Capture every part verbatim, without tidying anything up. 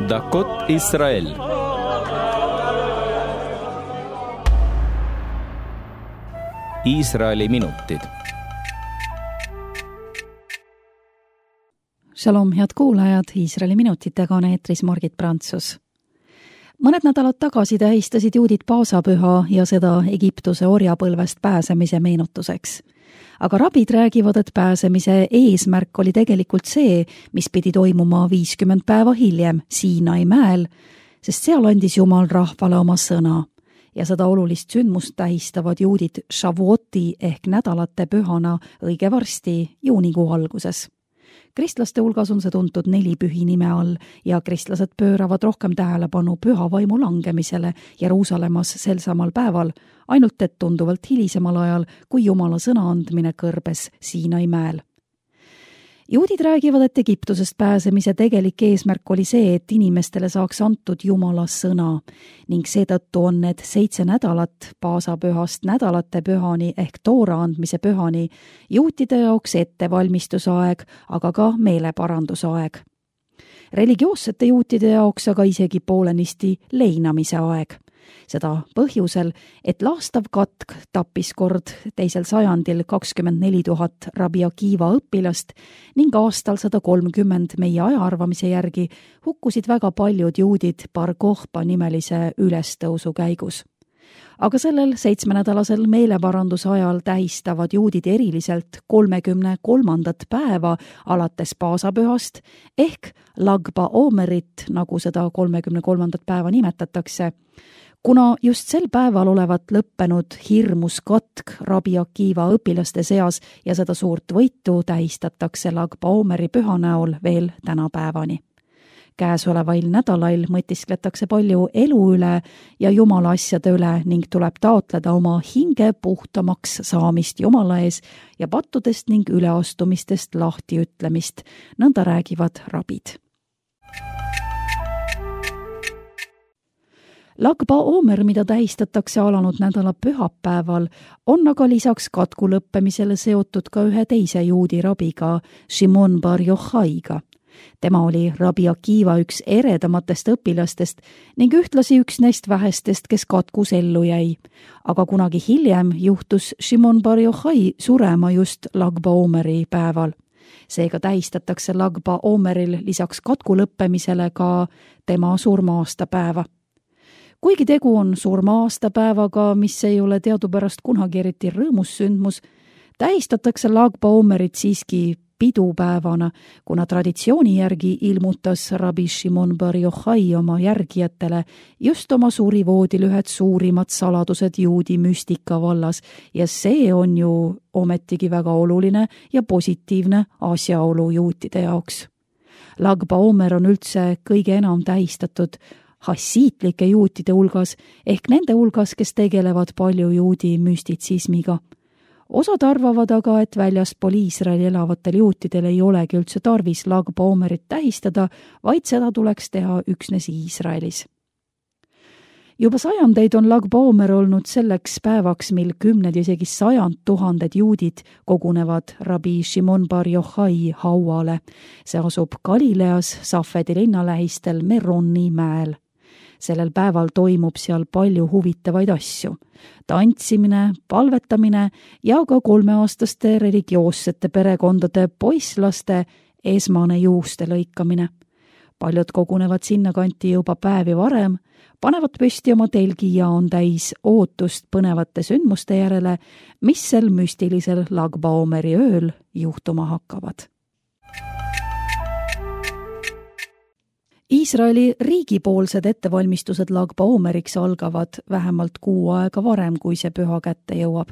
דקות ישראל. Iisraeli minutid. Shalom, head kuulajad, Iisraeli minutitega on eetris Margit Prantsus. Mõned nädalad tagasi tähistasid juudid paasapüha ja seda Egiptuse orjapõlvest pääsemise meenutuseks. Aga rabid räägivad, et pääsemise eesmärk oli tegelikult see, mis pidi toimuma viiskümmend päeva hiljem Siinai mäel, sest seal andis Jumal rahvale oma sõna. Ja seda olulist sündmust tähistavad juudid Shavuoti ehk nädalate pühana õige varsti juunikuu alguses. Kristlaste hulgas on see tuntud nelipühi nime all ja kristlased pööravad rohkem tähelepanu püha vaimu langemisele Jeruusalemmas sel samal päeval, ainult et tunduvalt hilisemal ajal, kui Jumala sõna andmine kõrbes Siinai mäel. Juudid räägivad, et Egiptusest pääsemise tegelik eesmärk oli see, et inimestele saaks antud Jumala sõna ning seetõttu on need seitse nädalat paasapühast nädalate pühani ehk toora andmise pühani juutide jaoks ettevalmistusaeg, aga ka meeleparandusaeg. Religioossete juutide jaoks aga isegi poolenisti leinamise aeg. Seda põhjusel, et laastav katk tappis kord teisel sajandil kakskümmend neli tuhat Rabbi Akiva õpilast ning aastal sada kolmkümmend meie ajaarvamise järgi hukkusid väga paljud juudid Bar Kokhba nimelise ülestõusu käigus. Aga sellel seitsmenädalasel meeleparanduse ajal tähistavad juudid eriliselt kolmekümne kolmandat päeva alates paasapühast ehk Lag BaOmerit, nagu seda kolmekümne kolmandat päeva nimetatakse, kuna just sel päeval olevat lõppenud hirmus katk Rabbi Akiva õpilaste seas ja seda suurt võitu tähistatakse Lag BaOmeri püha näol veel tänapäevani. Käesolevail nädalail mõtiskletakse palju elu üle ja Jumala asjade üle ning tuleb taotleda oma hinge puhtamaks saamist Jumala ees ja pattudest ning üleastumistest lahtiütlemist, nõnda räägivad rabid. Lag BaOmer, mida tähistatakse alanud nädala pühapäeval, on aga lisaks katku lõppemisele seotud ka ühe teise juudi rabiga, Shimon bar Yochaiga. Tema oli Rabbi Akiva üks eredamatest õpilastest ning ühtlasi üks neist vähestest, kes katkus ellu jäi. Aga kunagi hiljem juhtus Shimon bar Yochai surema just Lag BaOmeri päeval. Seega tähistatakse Lag BaOmeril lisaks katku lõppemisele ka tema surma-aastapäeva. Kuigi tegu on surma-aastapäevaga, mis ei ole teadupärast kunagi eriti rõõmus sündmus, tähistatakse Lag BaOmerit siiski pidupäevana, kuna traditsiooni järgi ilmutas Rabbi Shimon bar Yochai oma järgijatele just oma surivoodil ühed suurimad saladused juudi müstika vallas ja see on ju ometigi väga oluline ja positiivne asjaolu juutide jaoks. Lag BaOmer on üldse kõige enam tähistatud hassiitlike juutide hulgas ehk nende hulgas, kes tegelevad palju juudi müstitsismiga. Osad arvavad aga, et väljaspool Iisraeli elavatel juutidel ei olegi üldse tarvis Lag BaOmerit tähistada, vaid seda tuleks teha üksnes Iisraelis. Juba sajandeid on Lag BaOmer olnud selleks päevaks, mil kümned ja isegi sajand tuhanded juudid kogunevad Rabbi Shimon bar Yochai hauale. See asub Galileas Safedi linnalähistel Meroni mäel. Sellel päeval toimub seal palju huvitavaid asju. Tantsimine, palvetamine ja ka kolmeaastaste religioossete perekondade poisslaste esmane juuste lõikamine. Paljud kogunevad sinna kanti juba päevi varem, panevad püsti oma telgi ja on täis ootust põnevate sündmuste järele, mis sel müstilisel Lag BaOmeri ööl juhtuma hakkavad. Iisraeli riigipoolsed ettevalmistused Lag BaOmeriks algavad vähemalt kuu aega varem, kui see püha kätte jõuab.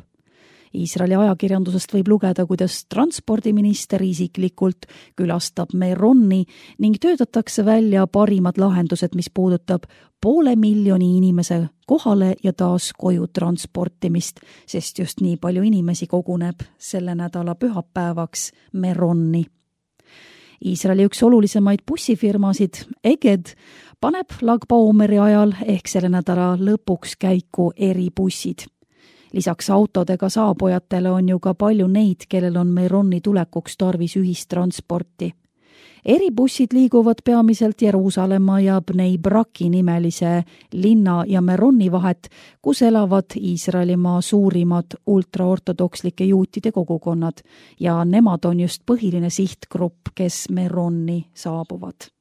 Iisraeli ajakirjandusest võib lugeda, kuidas transpordiminister isiklikult külastab Meroni ning töötatakse välja parimad lahendused, mis puudutab poole miljoni inimese kohale ja taas koju transportimist, sest just nii palju inimesi koguneb selle nädala pühapäevaks Meroni. Iisraeli üks olulisemaid bussifirmasid, Eged, paneb Lag BaOmeri ajal ehk selle nädala lõpuks käiku eribussid. Lisaks autodega saabujatele on ju ka palju neid, kellel on Meroni tulekuks tarvis ühistransporti. eribussid liiguvad peamiselt Jeruusalemma ja Bnei Braki nimelise linna ja Meroni vahet, kus elavad Iisraelimaa suurimad ultraortodokslike juutide kogukonnad ja nemad on just põhiline sihtgrupp, kes Meroni saabuvad.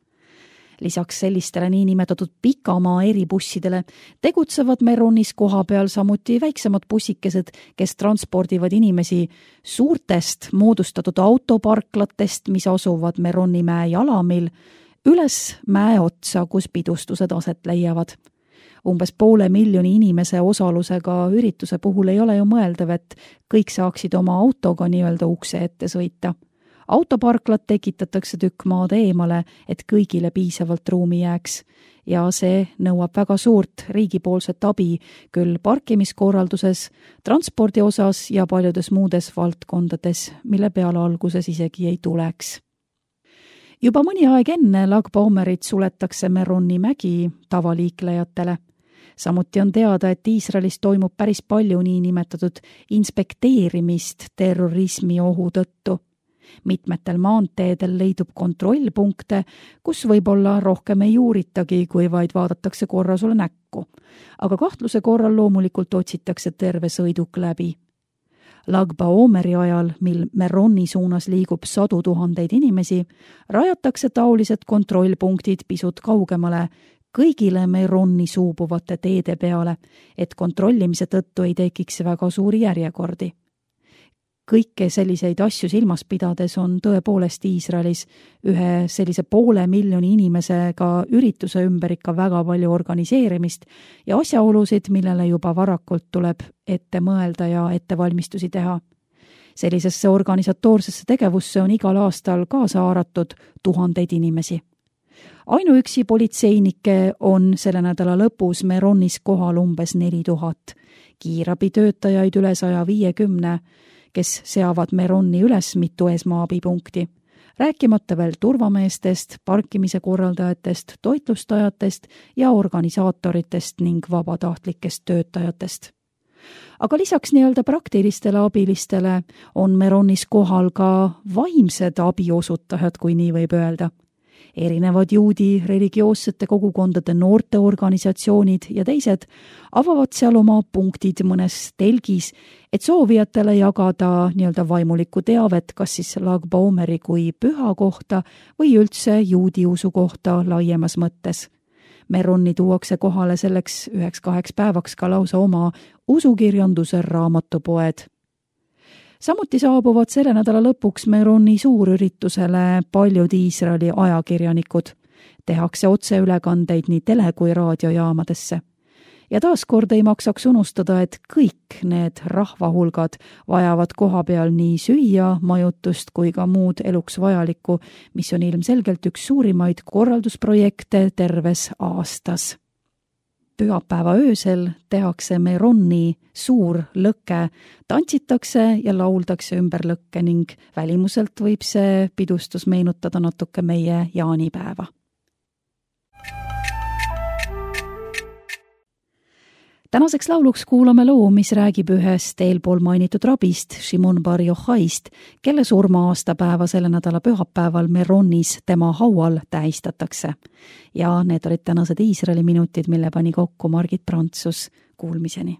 Lisaks sellistele niinimetatud pikamaa eribussidele tegutsevad Meronis koha peal samuti väiksemad bussikesed, kes transpordivad inimesi suurtest moodustatud autoparklatest, mis asuvad Meroni mäe jalamil, üles mäe otsa, kus pidustused aset leiavad. Umbes poole miljoni inimese osalusega ürituse puhul ei ole ju mõeldav, et kõik saaksid oma autoga nii-öelda ukse ette sõita. Autoparklat tekitatakse tükk maad eemale, et kõigile piisavalt ruumi jääks ja see nõuab väga suurt riigipoolset abi küll parkimiskorralduses, transpordi osas ja paljudes muudes valdkondades, mille peale alguses isegi ei tuleks. Juba mõni aeg enne Lag Baomerit suletakse Meroni mägi tavaliiklejatele. Samuti on teada, et Iisraelis toimub päris palju niinimetatud inspekteerimist terrorismi ohu tõttu. Mitmetel maanteedel leidub kontrollpunkte, kus võib-olla rohkem ei uuritagi, kui vaid vaadatakse korra sulle näkku. Aga kahtluse korral loomulikult otsitakse terve sõiduk läbi. Lag Baomeri ajal, mil Meroni suunas liigub sadu tuhandeid inimesi, rajatakse taolised kontrollpunktid pisut kaugemale, kõigile Meroni suubuvate teede peale, et kontrollimise tõttu ei tekiks väga suuri järjekordi. Kõike selliseid asju silmas pidades on tõepoolest Iisraelis ühe sellise poole miljoni inimesega ürituse ümber ikka väga palju organiseerimist ja asjaolusid, millele juba varakult tuleb ette mõelda ja ettevalmistusi teha. Sellisesse organisatoorsesse tegevusse on igal aastal kaasa haaratud tuhandeid inimesi. Ainuüksi politseinikke on selle nädala lõpus Meronis kohal umbes neli tuhat, kiirabitöötajaid üle saja viiekümne, kes seavad Meroni üles mitu esmaabipunkti, rääkimata veel turvameestest, parkimise korraldajatest, toitlustajatest ja organisaatoritest ning vabatahtlikest töötajatest. Aga lisaks nii-öelda praktilistele abilistele on Meronis kohal ka vaimsed abiosutajad, kui nii võib öelda. Erinevad juudi religioossete kogukondade noorteorganisatsioonid ja teised avavad seal oma punktid mõnes telgis, et soovijatele jagada nii-öelda vaimulikku teavet, kas siis Lag Baomeri kui püha kohta või üldse juudi usu kohta laiemas mõttes. Meroni tuuakse kohale selleks üheks kaheks päevaks ka lausa oma usukirjanduse raamatupoed. Samuti saabuvad selle nädala lõpuks Meroni suurüritusele paljud Iisraeli ajakirjanikud. Tehakse otseülekandeid nii tele- kui raadiojaamadesse. Ja taaskord ei maksaks unustada, et kõik need rahvahulgad vajavad koha peal nii süüa, majutust kui ka muud eluks vajalikku, mis on ilmselgelt üks suurimaid korraldusprojekte terves aastas. Pühapäeva öösel tehakse Meroni suur lõkke, tantsitakse ja lauldakse ümber lõkke ning välimuselt võib see pidustus meenutada natuke meie jaanipäeva. Tänaseks lauluks kuulame loo, mis räägib ühest eelpool mainitud rabist, Shimon bar Yochaist, kelle surma aastapäeva selle nädala pühapäeval Meronis tema haual tähistatakse. Ja need olid tänased Iisraeli minutid, mille pani kokku Margit Prantsus. Kuulmiseni!